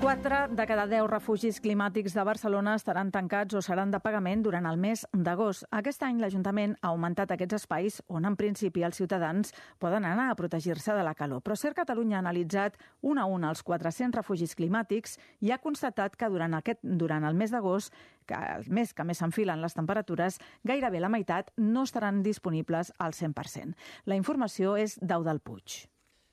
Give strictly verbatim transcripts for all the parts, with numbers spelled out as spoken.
Quatre de cada deu refugis climàtics de Barcelona estaran tancats o seran de pagament durant el mes d'agost. Aquest any l'Ajuntament ha augmentat aquests espais on, en principi, els ciutadans poden anar a protegir-se de la calor. Però Ser Catalunya ha analitzat un a un els quatre-cents refugis climàtics i ha constatat que durant, aquest, durant el mes d'agost, que el mes que més s'enfilen les temperatures, gairebé la meitat no estaran disponibles al cent per cent. La informació és d'Eudald Puig.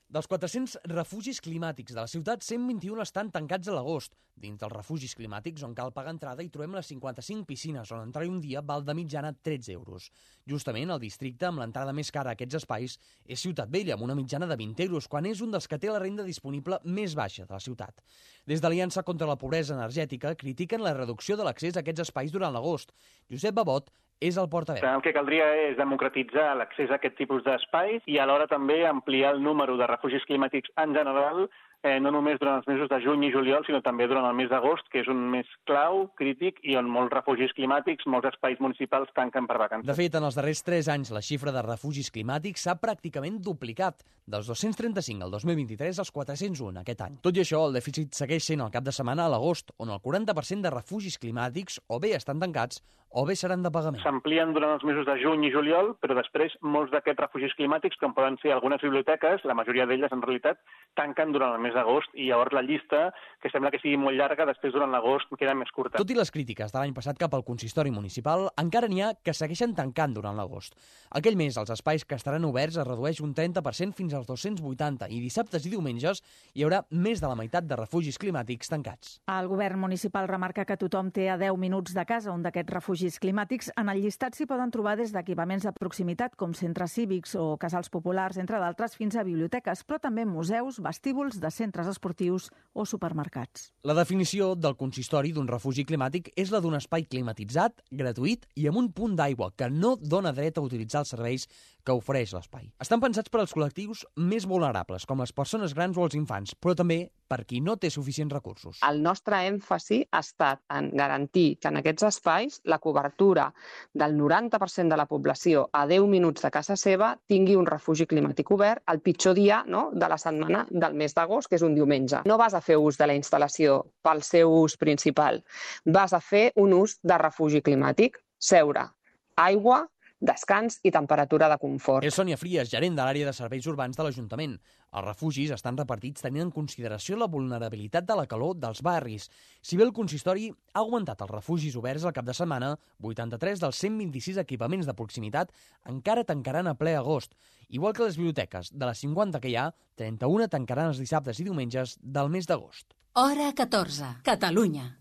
Dels quatre-cents refugis climàtics de la ciutat, cent vint-i-un estan tancats a l'agost. Dins dels refugis climàtics, on cal pagar entrada, hi trobem les cinquanta-cinc piscines, on entrar-hi un dia val de mitjana tretze euros. Justament, el districte amb l'entrada més cara a aquests espais és Ciutat Vella, amb una mitjana de vint euros, quan és un dels que té la renda disponible més baixa de la ciutat. Des de l'Aliança contra la Pobresa Energètica critiquen la reducció de l'accés a aquests espais durant l'agost. Josep Babot és el portaveu. El que caldria és democratitzar l'accés a aquest tipus d'espais i alhora també ampliar el número de refugis climàtics en general, eh, no només durant els mesos de juny i juliol, sinó també durant el mes d'agost, que és un mes clau, crític, i on molts refugis climàtics, molts espais municipals tanquen per vacances. De fet, en els darrers tres anys, la xifra de refugis climàtics s'ha pràcticament duplicat, dels dos-cents trenta-cinc al dos mil vint-i-tres als quatre-cents un aquest any. Tot i això, el dèficit segueix sent el cap de setmana a l'agost, on el quaranta per cent de refugis climàtics o bé estan tancats o bé seran de pagament. S'amplien durant els mesos de juny i juliol, però després molts d'aquests refugis climàtics, com poden ser algunes biblioteques, la majoria d'elles en realitat tanquen durant el mes d'agost i llavors la llista, que sembla que sigui molt llarga, després durant l'agost queda més curta. Tot i les crítiques de l'any passat cap al consistori municipal, encara n'hi ha que segueixen tancant durant l'agost. Aquell mes, els espais que estaran oberts es redueix un trenta per cent fins als dos-cents vuitanta i dissabtes i diumenges hi haurà més de la meitat de refugis climàtics tancats. El govern municipal remarca que tothom té a deu minuts de casa un d'aquests refugis climàtics. En el llistat s'hi poden trobar des d'equipaments de proximitat com centres cívics o casals populars, entre d'altres, fins a biblioteques, però també museus, vestíbuls de centres esportius o supermercats. La definició del consistori d'un refugi climàtic és la d'un espai climatitzat, gratuït i amb un punt d'aigua que no dona dret a utilitzar els serveis que ofereix l'espai. Estan pensats per als col·lectius més vulnerables, com les persones grans o els infants, però també per qui no té suficients recursos. El nostre èmfasi ha estat en garantir que en aquests espais la cobertura del noranta per cent de la població a deu minuts de casa seva tingui un refugi climàtic obert el pitjor dia, no?, de la setmana del mes d'agost, que és un diumenge. No vas a fer ús de la instal·lació pel seu ús principal, vas a fer un ús de refugi climàtic, seure, aigua, descans i temperatura de confort. És Sònia Fries, gerent de l'àrea de serveis urbans de l'Ajuntament. Els refugis estan repartits tenint en consideració la vulnerabilitat de la calor dels barris. Si bé el consistori ha augmentat els refugis oberts al cap de setmana, vuitanta-tres dels cent vint-i-sis equipaments de proximitat encara tancaran a ple agost. Igual que les biblioteques, de les cinquanta que hi ha, trenta-una tancaran els dissabtes i diumenges del mes d'agost. Hora catorze. Catalunya.